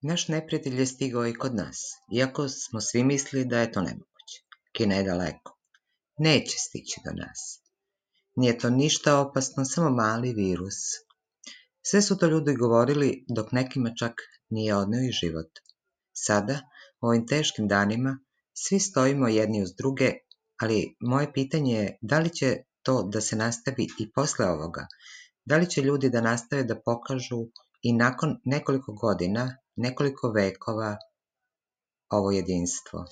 Naš neprijatelj je stigao i kod nas, iako smo svi mislili da je to nemoguće. Kina je daleko. Neće stići do nas. Nije to ništa opasno, samo mali virus. Sve su to ljudi govorili, dok nekima čak nije odneo i život. Sada, u ovim teškim danima, svi stojimo jedni uz druge, ali moje pitanje je da li će to da se nastavi i posle ovoga? Da li će ljudi da nastave da pokažu i nakon nekoliko godina, nekoliko vekova ovo jedinstvo?